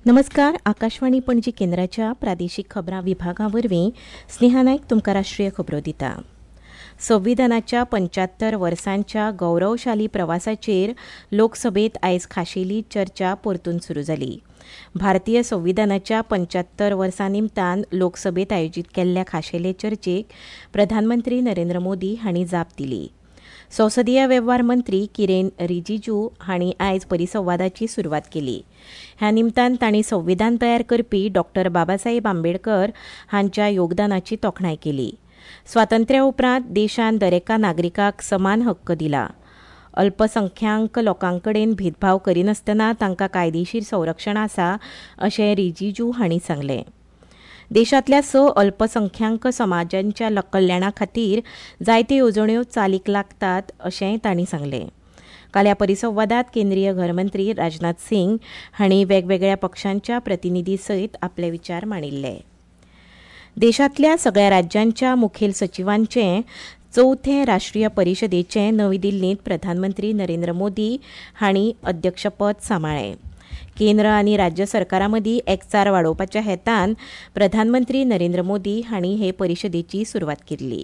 नमस्कार, आकाशवाणी पणजी केंद्राच्या प्रादेशीक खबरां विभागा वरवीं स्नेहा नायक तुमकां राष्ट्रीय खबरो दिता. संविधानाच्या 75 वर्सांच्या गौरवशाली प्रवासाचेर लोकसभेत आयज खाशेली चर्चा परतून सुरू जाली. भारतीय संविधानाच्या 75 वर्सां निमतान लोकसभेत आयोजीत केल्ल्या खाशेले चर्चेक प्रधानमंत्री नरेंद्र मोदी हांणी जाप दिली. संसदीय वेव्हार मंत्री किरेन रिजिजू हांणी आयज परिसंवादाची सुरवात केली. ह्या निमतान तांणी संविधान तयार करपी डॉ. बाबासाहेब आंबेडकर हांच्या योगदानाची तोखणाय केली. स्वातंत्र्या उपरांत देशान दरेका नागरिकाक समान हक्क दिला. अल्पसंख्यांक लोकांकडेन भेदभाव करिनासतना तांकां कायदेशीर संरक्षण आसा अशें रिजिजू हांणी सांगलें. देशांतल्या 6 अल्पसंख्यांक समाजांच्या कल्याणा खातीर जायत्यो येवजण्यो चालीक लागतात अशेंय तांणी सांगलें. काल ह्या परिसंवादांत केंद्रीय घरमंत्री राजनाथ सिंग हांणी वेगवेगळ्या पक्षांच्या प्रतिनिधी सयत आपले विचार मांडिल्ले. देशांतल्या सगळ्या राज्यांच्या मुखेल सचिवांचे चवथे राष्ट्रीय परिशदेचें नवी दिल्लींत प्रधानमंत्री नरेंद्र मोदी हांणी अध्यक्षपद सांबाळ्ळें. केंद्र आनी राज्य सरकारां मदीं एकचार वाडोवपाच्या हेतान प्रधानमंत्री नरेंद्र मोदी हांणी हे परिशदेची सुरवात केल्ली.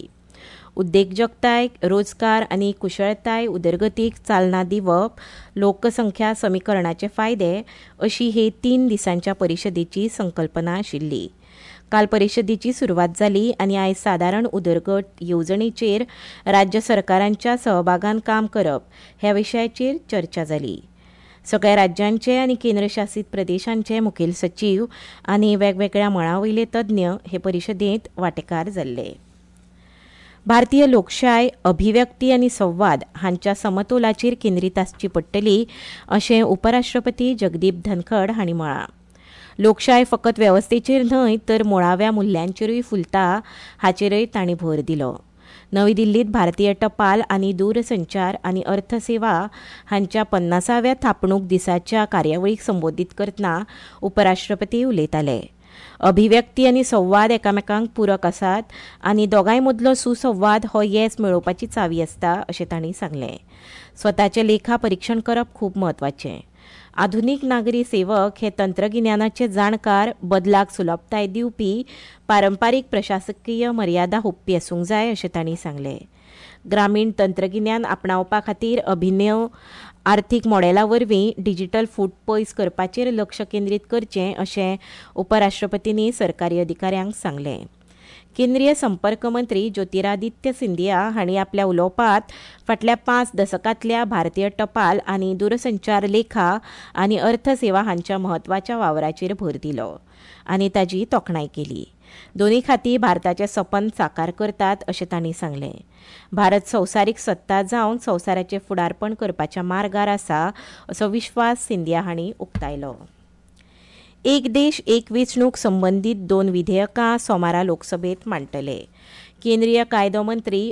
उद्देगजगताय, रोजगार आनी कुशळताय उदरगतीक चालना दिवप, लोकसंख्या समीकरणाचे फायदे अशी हे 3 दिसांच्या परिशदेची संकल्पना आशिल्ली. काल परिशदेची सुरवात जाली आनी आयज सादारण उदरगत येवजणेचेर राज्य सरकारांच्या सहभागान काम करप ह्या विशयाचेर चर्चा जाली. सगळ्या राज्यांचे आनी केंद्रशासीत प्रदेशांचे मुखेल सचीव आनी वेगवेगळ्या मळां वयले तज्ञ हे परिशदेंत वांटेकार जाल्ले. भारतीय लोकशाय अभिव्यक्ती आनी संवाद हांच्या समतोलाचेर केंद्रीत आसची पडटली अशें उपराष्ट्रपती जगदीप धनखड हांणी म्हळां. लोकशाय फकत वेवस्थेचेर न्हय तर मुळाव्या मुल्यांचेरूय फुलता हाचेरय तांणी भर दिलो. नवी दिल्लीत भारतीय टपाल आनी दूरसंचार आनी अर्थसेवा हांच्या 50व्या थापणूक दिसाच्या कार्यावळीक संबोधीत करतना उपराष्ट्रपती उलयताले. अभिव्यक्ती आनी संवाद एकामेकांक पूरक आसात आनी दोगांय मदलो सुसंवाद हो येस मेळोवपाची चावी आसता अशें तांणी सांगलें. स्वताचें लेखा परिक्षण करप खूब म्हत्वाचें. आधुनीक नागरी सेवक हे तंत्रगिन्यानाचे जाणकार, बदलाक सुलभताय दिवपी, पारंपारीक प्रशासकीय मर्यादा हुपपी आसूंक जाय अशें तांणी सांगलें. ग्रामीण तंत्रगिन्यान आपणावपा खातीर अभिनव आर्थीक मॉडेला वरवीं डिजिटल फूट पयस करपाचेर लक्ष केंद्रीत करचें अशें उपराष्ट्रपतींनी सरकारी अधिकाऱ्यांक सांगलें. केंद्रीय संपर्क मंत्री ज्योतिरादित्य सिंधिया हांणी आपल्या उलोवपांत फाटल्या 5 दसकांतल्या भारतीय टपाल आनी दूरसंचार लेखा आनी अर्थसेवा हांच्या म्हत्वाच्या वावराचेर भर दिलो आनी ताजी तोखणाय केली. दोनूय खातीं भारताचें सपन साकार करतात अशें तांणी सांगलें. भारत संवसारीक सत्ता जावन संवसाराचें फुडारपण करपाच्या मार्गार आसा असो विश्वास सिंधिया हांणी उक्तायलो. एक देश एक वेंचणूक संबंदीत 2 विधेयकां सोमारा लोकसभेत मांडटले. केंद्रीय कायदो मंत्री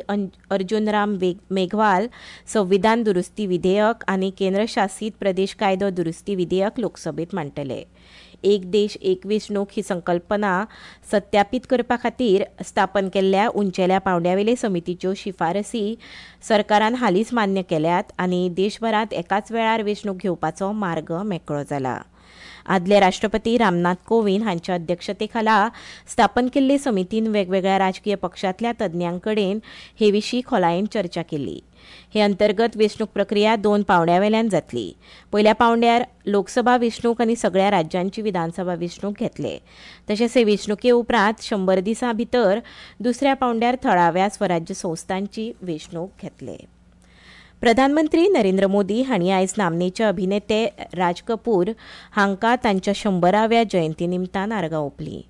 अर्जुन राम मेघवाल संविधान दुरुस्ती विधेयक आनी केंद्रशासीत प्रदेश कायदो दुरुस्ती विधेयक लोकसभेत मांडटले. एक देश एक वेंचणूक ही संकल्पना सत्यापीत करपा खातीर स्थापन केल्ल्या उंचेल्या पांवड्यावेले समितीच्यो शिफारसी सरकारान हालींच मान्य केल्यात आनी देशभरांत एकाच वेळार वेंचणूक घेवपाचो मार्ग मेकळो जाला. आदले राष्ट्रपती रामनाथ कोविंद हांच्या अध्यक्षतेखाला स्थापन केल्ले समितीन वेगवेगळ्या राजकीय पक्षांतल्या तज्ञांकडेन हे विशीं खोलायेन चर्चा केली. हे अंतर्गत वेंचणूक प्रक्रिया 2 पांवड्यावेल्यान जातली. पयल्या पांवड्यार लोकसभा वेंचणूक आनी सगळ्या राज्यांची विधानसभा वेंचणूक घेतले. तशेंच हे वेंचणुके उपरांत 100 दिसां भितर दुसऱ्या पांवड्यार थळाव्या स्वराज्य संस्थांची वेंचणूक घेतले. प्रधानमंत्री नरेंद्र मोदी हांणी आयज नामनेचे अभिनेते राज कपूर हांकां तांच्या 100व्या जयंती निमतान आर्गां ओंपलीं.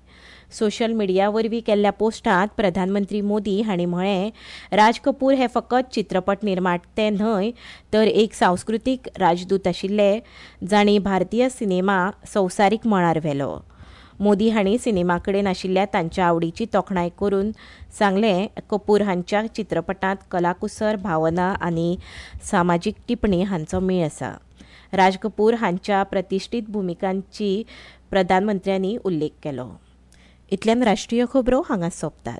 सोशल मिडिया वरवीं केल्ल्या पोस्टांत प्रधानमंत्री मोदी हांणी म्हळें, राज कपूर हे फकत चित्रपट निर्माते न्हय तर एक सांस्कृतीक राजदूत आशिल्ले जांणी भारतीय सिनेमा संवसारीक मळार व्हेलो. मोदी हांणी सिनेमा कडेन आशिल्ल्या तांच्या आवडीची तोखणाय करून सांगलें, कपूर हांच्या चित्रपटांत कलाकुसर, भावना आनी सामाजीक टिप्पणी हांचो मेळ आसा. राज कपूर हांच्या प्रतिश्ठीत भुमिकांची प्रधानमंत्र्यांनी उल्लेख केलो. इतल्यान राष्ट्रीय खबरो हांगा सोंपतात.